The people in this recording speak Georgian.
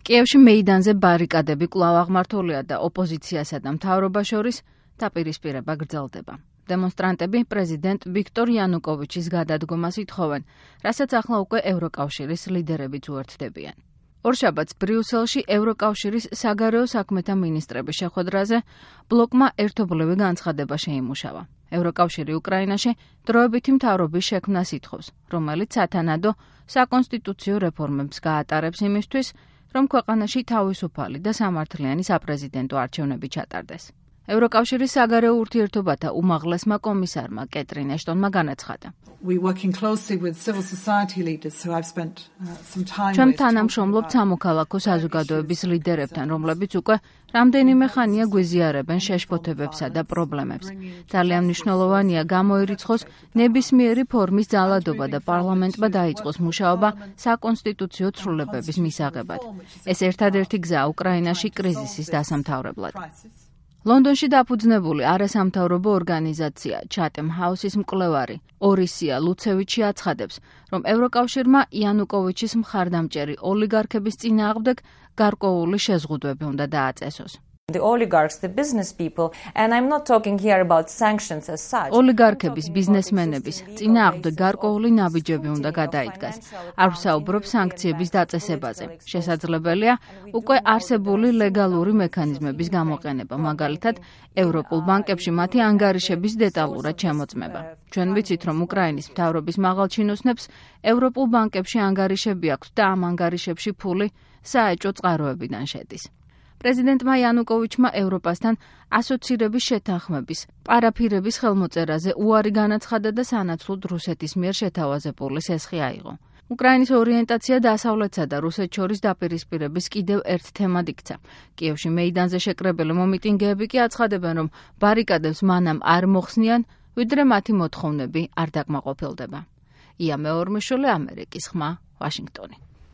კიევში მეიდანზე ბარიკადები კვლავ აღმართულია და ოპოზიციასა და მთავრობას შორის დაპირისპირება გრძელდება. დემონსტრანტები პრეზიდენტ ვიქტორ იანუკოვიჩის გადადგომას ითხოვენ, რასაც ახლა უკვე ევროკავშირის ლიდერებიც უერთდებიან. ორშაბათს ბრიუსელში ევროკავშირის საგარეო საქმეთა მინისტრების შეხვედრაზე ბლოკმა ერთობლივი განცხადება შეიმუშავა. ევროკავშირი უკრაინაში დროებითი მთავრობის შექმნას ითხოვს, რომელიც სათანადო საკონსტიტუციო რეფორმებს გაატარებს იმისთვის, რომ ქვეყანაში თავისუფალი და სამართლიანი საპრეზიდენტო არჩევნები ჩატარდეს. ევროკავშირის საგარეო ურთიერთობათა უმაღლესმა კომისარმა კეტრინ ეშტონმა განაცხადა. ჩვენ თანამშრომლობთ სამოქალაქო საზოგადოების ლიდერებთან, რომლებიც უკვე რამდენიმე ხანია გვიზიარებენ შეშფოთებებსა და პრობლემებს. ძალიან მნიშვნელოვანია გამოირიცხოს ნებისმიერი ფორმის ძალადობა და პარლამენტმა დაიწყოს მუშაობა საკონსტიტუციო ცვლილებების მისაღებად. ეს ერთადერთი გზაა უკრაინაში კრიზისის დასამთავრებლად. ლონდონში დაფუძნებული არასამთავრობო ორგანიზაცია Chatham House-ის მკვლევარი ორისია ლუცევიჩი აცხადებს, რომ ევროკავშირმა იანუკოვიჩის მხარდამჭერი ოლიგარქების წინააღმდეგ გარკვეული შეზღუდვები უნდა დააწესოს. ოლიგარქების, ბიზნესმენების წინააღმდეგ გარკვეული ნაბიჯები უნდა გადაიდგას. არ ვსაუბრობ სანქციების დაწესებაზე. შესაძლებელია უკვე არსებული ლეგალური მექანიზმების გამოყენება, მაგალითად, ევროპულ ბანკებში მათი ანგარიშების დეტალურად შემოწმება. ჩვენ ვიცით, რომ უკრაინის მთავრობის მაღალჩინოსნებს ევროპულ ბანკებში ანგარიშები აქვთ და ამ ანგარიშებში ფული საეჭვო წყაროებიდან შედის. პრეზიდენტმა იანუკოვიჩმა ევროპასთან ასოცირების შეთანხმების პარაფირების ხელმოწერაზე უარი განაცხადა და სანაცვლოდ რუსეთის მიერ შეთავაზებული სესხი აიღო. უკრაინის ორიენტაცია დასავლეთსა და რუსეთს შორის დაპირისპირების კიდევ ერთ თემად იქცა. კიევში მეიდანზე შეკრებილი მომიტინგეები კი აცხადებენ, რომ ბარიკადებს მანამ არ მოხსნიან, ვიდრე მათი მოთხოვნები არ დაკმაყოფილდება. ია მეორმიშული, ამერიკის ხმა, ვაშინგტონი.